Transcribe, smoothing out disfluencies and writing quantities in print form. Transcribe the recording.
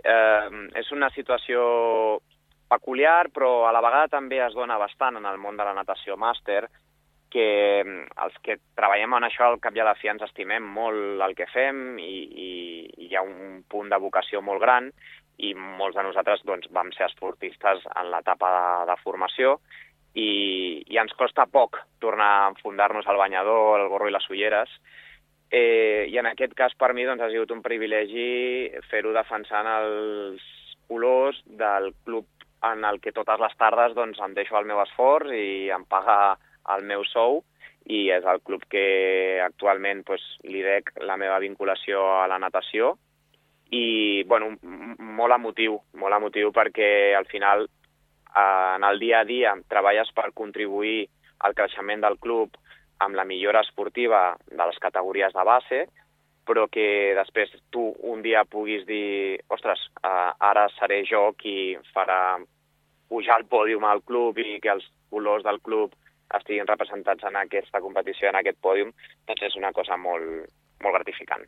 és una situació peculiar, però a la vegada també es dona bastant en el món de la natació màster, que els que treballem en això al cap i a la fi ens estimem molt el que fem i hi ha un punt de vocació molt gran i molts de nosaltres vam ser esportistes en l'etapa de formació i ens costa poc tornar a enfundar-nos al banyador, el gorro i les ulleres. I en aquest cas per mi ha sigut un privilegi fer-ho defensant els colors del club en el que totes les tardes em deixo el meu esforç i em paga el meu sou, i és el club que actualment li dec la meva vinculació a la natació. I molt emotiu perquè al final en el dia a dia treballes per contribuir al creixement del club amb la millora esportiva de les categories de base, però que després tu un dia puguis dir ostres, ara seré jo qui farà pujar al pòdium al club i que els colors del club estiguin representats en aquesta competició, en aquest pòdium, doncs és una cosa molt, molt gratificant.